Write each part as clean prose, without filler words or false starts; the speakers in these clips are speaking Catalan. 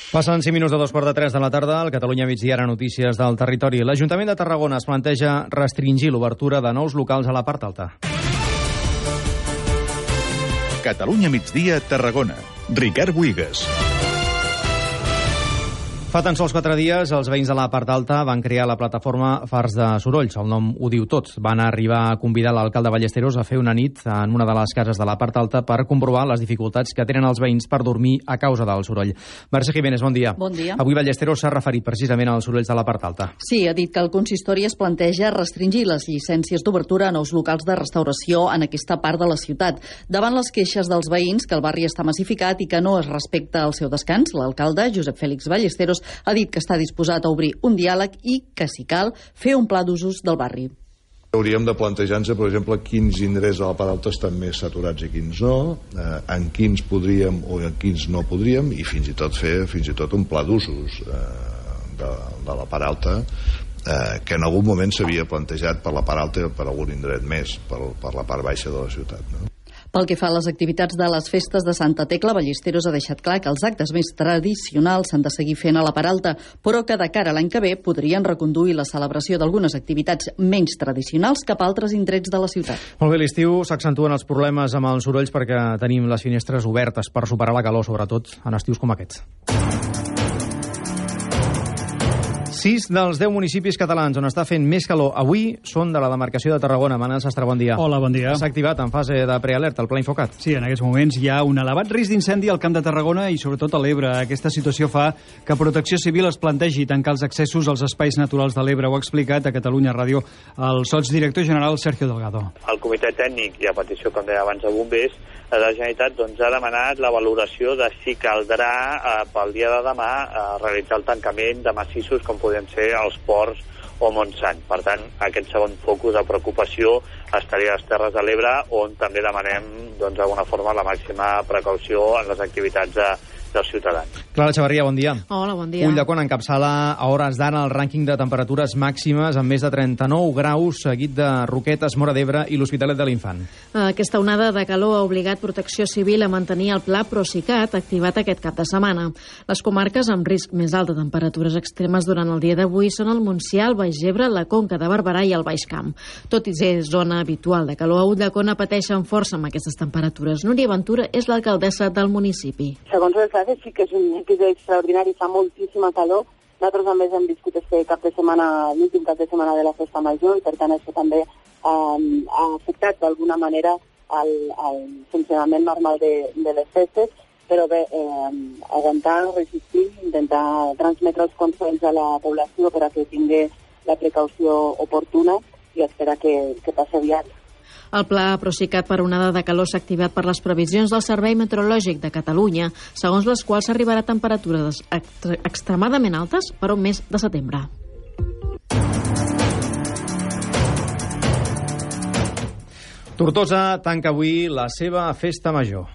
Passen 5 minuts de 2:45 de la tarda. Al Catalunya migdia, ara notícies del territori. L'Ajuntament de Tarragona es planteja restringir l'obertura de nous locals a la part alta. Catalunya migdia, Tarragona. Ricard Buigas. Fa tan sols 4 dies, els veïns de la part alta van crear la plataforma Fars de Sorolls. El nom ho diu tot. Van arribar a convidar l'alcalde Ballesteros a fer una nit en una de les cases de la part alta per comprovar les dificultats que tenen els veïns per dormir a causa del soroll. Mercè Jiménez, bon dia. Bon dia. Avui Ballesteros s'ha referit precisament als sorolls de la part alta. Sí, ha dit que el consistori es planteja restringir les llicències d'obertura a nous locals de restauració en aquesta part de la ciutat. Davant les queixes dels veïns que el barri està massificat i que no es respecta el seu descans, l'alcalde, Josep Fèlix Ballesteros, ha dit que està disposat a obrir un diàleg i, que si cal, fer un pla d'usos del barri. Hauríem de plantejar-nos, per exemple, quins indrets de la part alta estan més saturats i quins no, en quins podríem o en quins no podríem, i fins i tot fer un pla d'usos de la part alta, que en algun moment s'havia plantejat per la part alta i per algun indret més, per la part baixa de la ciutat, no? Pel que fa a les activitats de les festes de Santa Tecla, Ballesteros ha deixat clar que els actes més tradicionals s'han de seguir fent a la part alta, però que de cara a l'any que ve podrien reconduir la celebració d'algunes activitats menys tradicionals cap a altres indrets de la ciutat. Molt bé, l'estiu s'accentuen els problemes amb els sorolls perquè tenim les finestres obertes per superar la calor, sobretot en estius com aquests. 6 dels 10 municipis catalans on està fent més calor avui són de la demarcació de Tarragona. Manel Sastre, bon dia. Hola, bon dia. S'ha activat en fase de prealerta el Pla Infocat. Sí, en aquests moments hi ha un elevat risc d'incendi al Camp de Tarragona i sobretot a l'Ebre. Aquesta situació fa que Protecció Civil es plantegi tancar els accessos als espais naturals de l'Ebre. Ho ha explicat a Catalunya Ràdio el sotsdirector general Sergio Delgado. El comitè tècnic, i a petició, com deia abans, de bombers, de la Generalitat ha demanat la valoració de si caldrà pel dia de demà realitzar el tancament de massissos com podem ser els ports o Montsant. Per tant, aquest segon focus de preocupació estaria a les Terres de l'Ebre, on també demanem d'alguna forma la màxima precaució en les activitats dels ciutadans. Clara Xavarria, bon dia. Hola, bon dia. Ulldecona encapçala a hores d'ara el rànquing de temperatures màximes amb més de 39 graus, seguit de Roquetes, Móra d'Ebre i l'Hospitalet de l'Infant. Aquesta onada de calor ha obligat Protecció Civil a mantenir el Pla Procicat activat aquest cap de setmana. Les comarques amb risc més alt de temperatures extremes durant el dia d'avui són el Montsià, el Baix Ebre, la Conca de Barberà i el Baix Camp. Tot i ser zona habitual de calor, a Ulldecona pateixen força amb aquestes temperatures. Núria Ventura és l'alcaldessa del municipi. Segons les dades, sí que és un episodi extraordinari, fa moltíssima calor. Nosaltres a més hem viscut aquest cap de setmana, l'últim cap de setmana de la festa major, i per tant això també ha afectat d'alguna manera el funcionament normal de les festes, però bé, aguantar, resistir, intentar transmetre els consells a la població per a que tingui la precaució oportuna i esperar que passi aviat. El Pla Procicat per onada de calor s'ha activat per les previsions del Servei Meteorològic de Catalunya, segons les quals s'arribarà a temperatures extremadament altes per un mes de setembre. Tortosa tanca avui la seva festa major.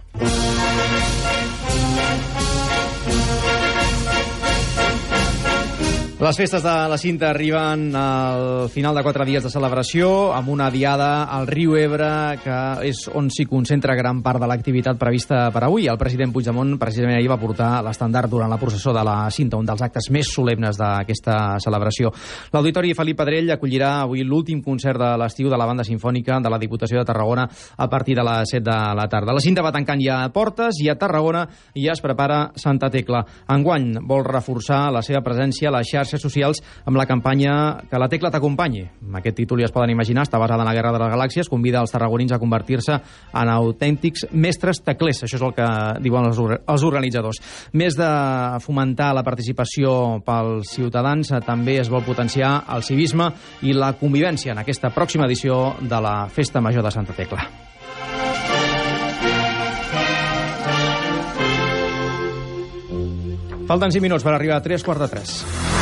Les festes de la Cinta arriben al final de 4 dies de celebració, amb una diada al riu Ebre, que és on s'hi concentra gran part de l'activitat prevista per avui. El president Puigdemont precisament ahir va portar l'estendard durant la processó de la Cinta, un dels actes més solemnes d'aquesta celebració. L'Auditori Felip Pedrell acollirà avui l'últim concert de l'estiu de la Banda Simfònica de la Diputació de Tarragona a partir de les 7 de la tarda. La Cinta va tancant ja portes i a Tarragona ja es prepara Santa Tecla. Enguany vol reforçar la seva presència a les xarxes socials amb la campanya Que la Tecla t'acompanyi. Amb aquest títol ja es poden imaginar, està basada en la Guerra de les Galàxies, convida els tarragonins a convertir-se en autèntics mestres teclers. Això és el que diuen els organitzadors. Més de fomentar la participació pels ciutadans, també es vol potenciar el civisme i la convivència en aquesta pròxima edició de la Festa Major de Santa Tecla. Falten 5 minuts per arribar a 3:45.